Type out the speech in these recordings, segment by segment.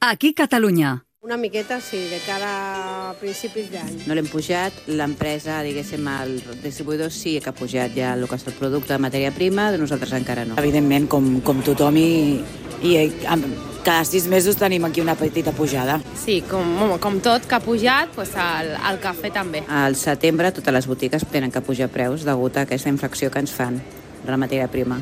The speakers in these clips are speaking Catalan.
Aquí Catalunya. Una miqueta, sí, de cara a principis d'any. No l'hem pujat, l'empresa, diguéssim, el distribuïdor sí que ha pujat ja el que és el producte de matèria prima, de nosaltres encara no. Evidentment, com tothom, i cada 6 mesos tenim aquí una petita pujada. Sí, com tot que ha pujat, doncs el cafè també. Al setembre totes les botigues tenen que pujar preus degut a aquesta infracció que ens fan de la matèria prima.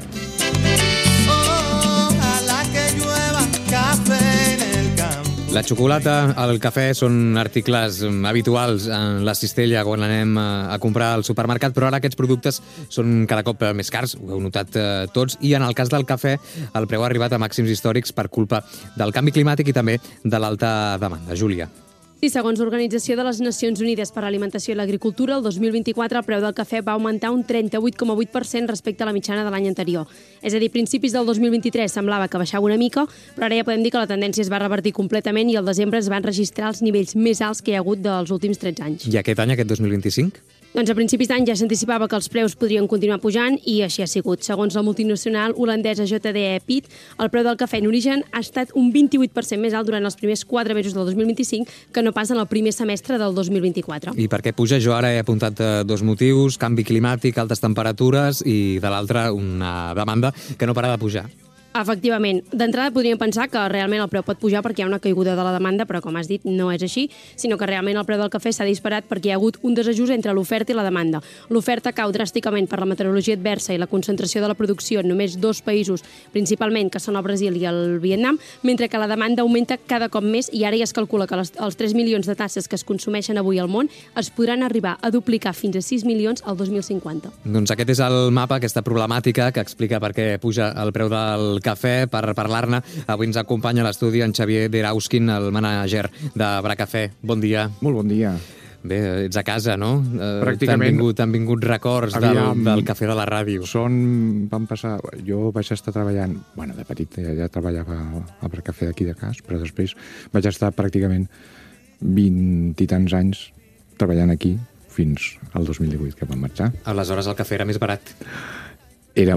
La xocolata, el cafè són articles habituals en la cistella quan anem a comprar al supermercat, però ara aquests productes són cada cop més cars, ho heu notat tots, i en el cas del cafè el preu ha arribat a màxims històrics per culpa del canvi climàtic i també de l'alta demanda. Júlia. Sí, segons l'Organització de les Nacions Unides per a l'Alimentació i l'Agricultura, el 2024 el preu del cafè va augmentar un 38,8% respecte a la mitjana de l'any anterior. És a dir, a principis del 2023 semblava que baixava una mica, però ara ja podem dir que la tendència es va revertir completament i al desembre es van registrar els nivells més alts que hi ha hagut dels últims 13 anys. I aquest any, aquest 2025? Doncs a principis d'any ja s'anticipava que els preus podrien continuar pujant i així ha sigut. Segons la multinacional holandesa JDE Peet, el preu del cafè en origen ha estat un 28% més alt durant els primers 4 mesos del 2025 que no pas en el primer semestre del 2024. I per què puja? Jo ara he apuntat 2 motius, canvi climàtic, altes temperatures i de l'altre una demanda que no para de pujar. Efectivament. D'entrada podríem pensar que realment el preu pot pujar perquè hi ha una caiguda de la demanda, però com has dit, no és així, sinó que realment el preu del cafè s'ha disparat perquè hi ha hagut un desajust entre l'oferta i la demanda. L'oferta cau dràsticament per la meteorologia adversa i la concentració de la producció en només 2 països, principalment, que són el Brasil i el Vietnam, mentre que la demanda augmenta cada cop més i ara ja es calcula que els 3 milions de tasses que es consumeixen avui al món es podran arribar a duplicar fins a 6 milions al 2050. Doncs aquest és el mapa, aquesta problemàtica que explica per què puja el preu del cafè. Per parlar-ne, avui ens acompanya a l'estudi en Xavier Derauskin, el mànager de Bracafè. Bon dia. Molt bon dia. Bé, ets a casa, no? Pràcticament. T'han vingut records del cafè de la ràdio. Jo vaig estar treballant, de petit ja treballava al Bracafè d'aquí de Cas, però després vaig estar pràcticament 20 i tants anys treballant aquí fins al 2018 que vam marxar. Aleshores el cafè era més barat. Era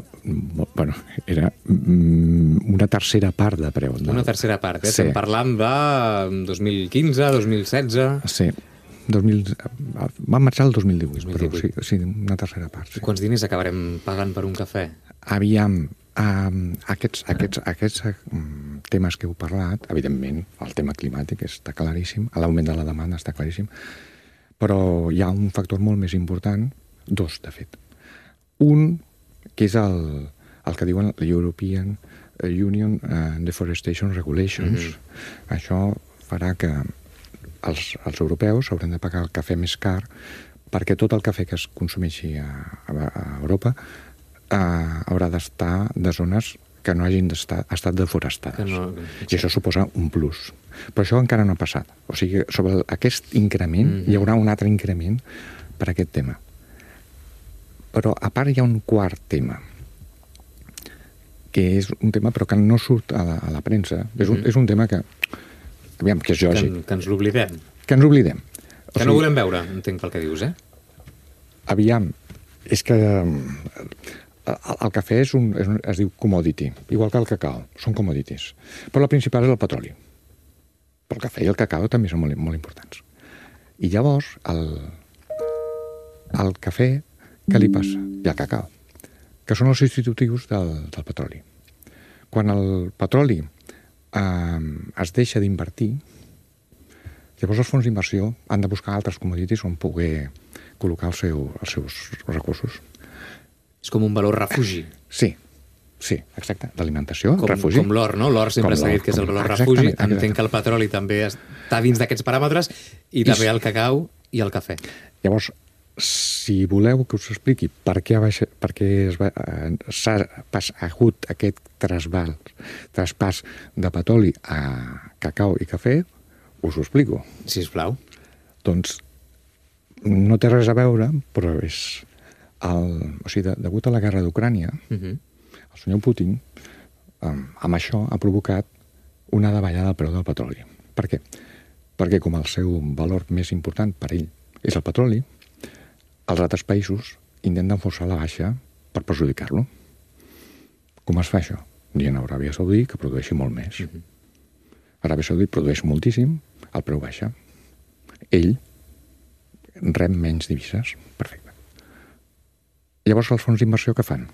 una tercera part de preu. Una tercera part, Sí. Estem parlant de 2015, 2016... Sí, vam marxar el 2018. Però sí, una tercera part. Sí. I quants diners acabarem pagant per un cafè? Aviam, aquests temes que heu parlat, evidentment, el tema climàtic està claríssim, l'augment de la demanda està claríssim, però hi ha un factor molt més important, 2, de fet. Un, que és el que diuen l'European Union Deforestation Regulations. Això farà que els europeus hauran de pagar el cafè més car perquè tot el cafè que es consumeixi a Europa haurà d'estar de zones que no hagin estat deforestades. I això suposa un plus. Però això encara no ha passat. O sigui, sobre aquest increment hi haurà un altre increment per aquest tema. Però a part hi ha un quart tema, que és un tema però que no surt a la premsa. És un tema que, aviam, que és lògic. Que ens l'oblidem. Que ens l'oblidem. Que no volem veure, entenc pel que dius, Aviam, és que el cafè es diu commodity, igual que el cacau, són commodities. Però la principal és el petroli. Però el cafè i el cacau també són molt, molt importants. I llavors, el cafè, què li passa? I el cacau, que són els substitutius del petroli. Quan el petroli es deixa d'invertir, llavors els fons d'inversió han de buscar altres commodities on poder col·locar els seus recursos. És com un valor refugi. Sí, exacte. D'alimentació, refugi. Com l'or, no? L'or sempre s'ha dit que és el valor refugi. Entenc que el petroli també està dins d'aquests paràmetres i també el cacau i el cafè. Llavors, si voleu que us expliqui per què s'ha hagut aquest traspàs de petroli a cacau i cafè, us ho explico. Sisplau. Doncs no té res a veure, però és... degut a la guerra d'Ucrània, el senyor Putin, amb això, ha provocat una davallada del preu del petroli. Per què? Perquè com el seu valor més important per ell és el petroli, els altres països intenten forçar la baixa per perjudicar-lo. Com es fa això? Dient a Aràbia Saudí que produeixi molt més. Aràbia Saudita produeix moltíssim, el preu baixa. Ell rep menys divises. Perfecte. Llavors, els fons d'inversió què fan?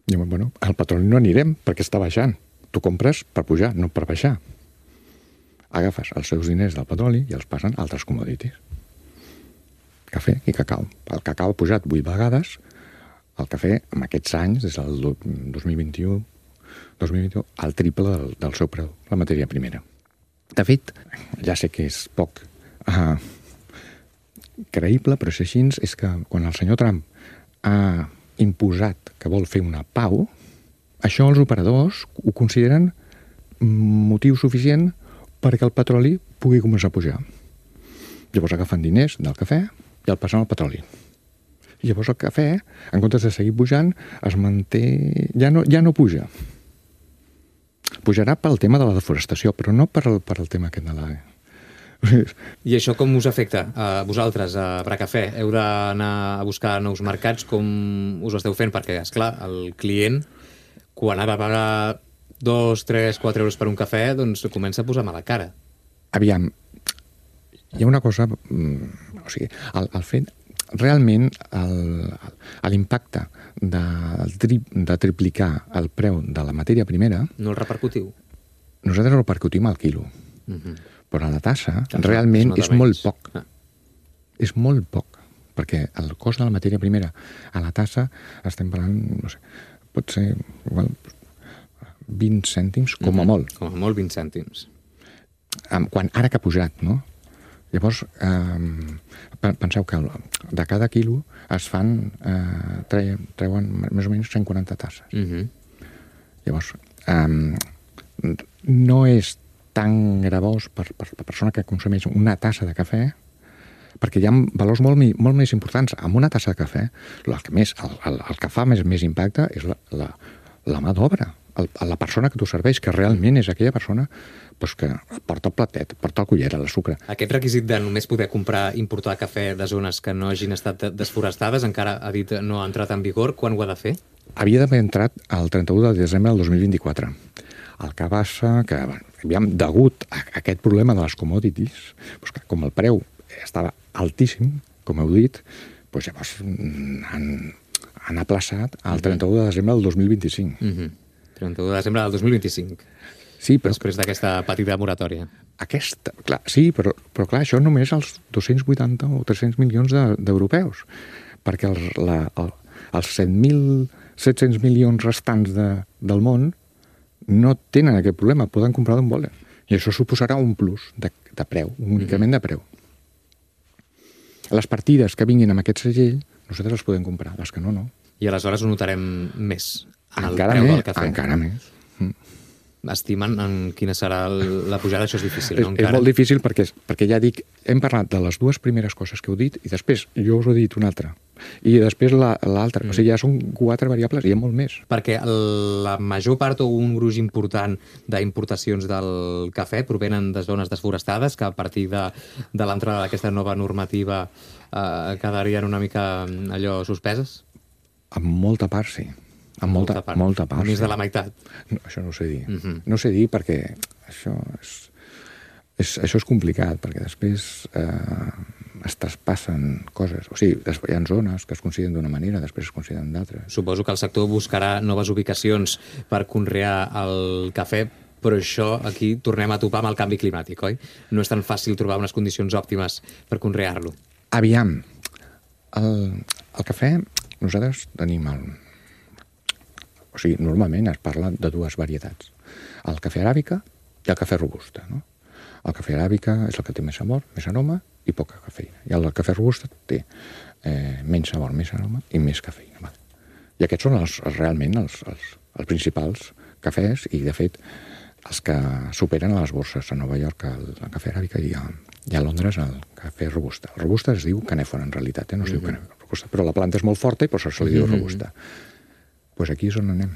Diuen, bueno, al petroli no anirem perquè està baixant. Tu compres per pujar, no per baixar. Agafes els seus diners del petroli i els passen a altres commodities. Cafè i cacau. El cacau ha pujat 8 vegades, el cafè, en aquests anys, des del 2021, el triple del seu preu, la matèria primera. De fet, ja sé que és poc creïble, però és així, és que quan el senyor Trump ha imposat que vol fer una pau, això els operadors ho consideren motiu suficient perquè el petroli pugui començar a pujar. Llavors agafen diners del cafè i el passen al petroli. I llavors el cafè, en comptes de seguir pujant, es manté... Ja no puja. Pujarà pel tema de la deforestació, però no per el tema aquest de la... I això com us afecta a vosaltres, a Bracafè? Heu d'anar a buscar nous mercats? Com us ho esteu fent? Perquè, esclar, el client, quan ha de pagar 2, 3, 4 euros per un cafè, doncs comença a posar mala cara. Aviam, hi ha una cosa... O sigui, el fet... Realment, l'impacte de triplicar el preu de la matèria primera... No el repercutiu? Nosaltres el repercutim al quilo. Però a la tassa, realment, és molt poc. És molt poc. Perquè el cost de la matèria primera a la tassa, estem parlant, no sé, pot ser igual 20 cèntims, com a molt. Com a molt, 20 cèntims. Ara que ha pujat, no? Llavors, penseu que de cada quilo es fan, treuen més o menys 140 tasses. Llavors, no és tan gravós per la persona que consumeix una tassa de cafè, perquè hi ha valors molt més importants. Amb una tassa de cafè, el que fa més impacte és la mà d'obra. La persona que t'ho serveix, que realment és aquella persona que porta el platet, porta el cullera, la sucre. Aquest requisit de només poder importar cafè de zones que no hagin estat desforestades, encara ha dit no ha entrat en vigor. Quan ho ha de fer? Havia d'haver entrat el 31 de desembre del 2024. El que passa que, degut a aquest problema de les commodities, com el preu estava altíssim, com heu dit, llavors han aplaçat el 31 de desembre del 2025. 31 de desembre del 2025. Sí, però... Després d'aquesta petita moratòria. Sí, però clar, això només els 280 o 300 milions d'europeus, perquè els 7.700 milions restants del món no tenen aquest problema, poden comprar d'on volen. I això suposarà un plus de preu, un increment de preu. Les partides que vinguin amb aquest segell, nosaltres les podem comprar, les que no. I aleshores ho notarem més en el preu del cafè. Encara més. Estimen en quina serà la pujada, això és difícil, no? És molt difícil perquè ja dic, hem parlat de les dues primeres coses que heu dit i després jo us he dit una altra. I després l'altra. O sigui, ja són 4 variables i hi ha molt més. Perquè la major part o un gruix important d'importacions del cafè provenen de zones desforestades que a partir de l'entrada d'aquesta nova normativa quedarien una mica allò suspeses? En molta part, sí. En molta part. Més de la meitat. No, això no ho sé dir. No ho sé dir perquè això és complicat, perquè després es traspassen coses. O sigui, hi ha zones que es consideren d'una manera, després es consideren d'altres. Suposo que el sector buscarà noves ubicacions per conrear el cafè, però això aquí tornem a topar amb el canvi climàtic, oi? No és tan fàcil trobar unes condicions òptimes per conrear-lo. Aviam, el cafè, nosaltres tenim O sigui, normalment es parla de 2 varietats. El cafè aràbica i el cafè robusta, no? El cafè aràbica és el que té més sabor, més aroma i poca cafeïna. I el cafè robusta té menys sabor, més aroma i més cafeïna. Vale. I aquests són realment els principals cafès i, de fet, els que superen a les borses a Nova York el cafè aràbica i a Londres el cafè robusta. El robusta es diu canèfora, en realitat, no es diu canèfora robusta, però la planta és molt forta i per això se li diu robusta. Doncs aquí és on anem.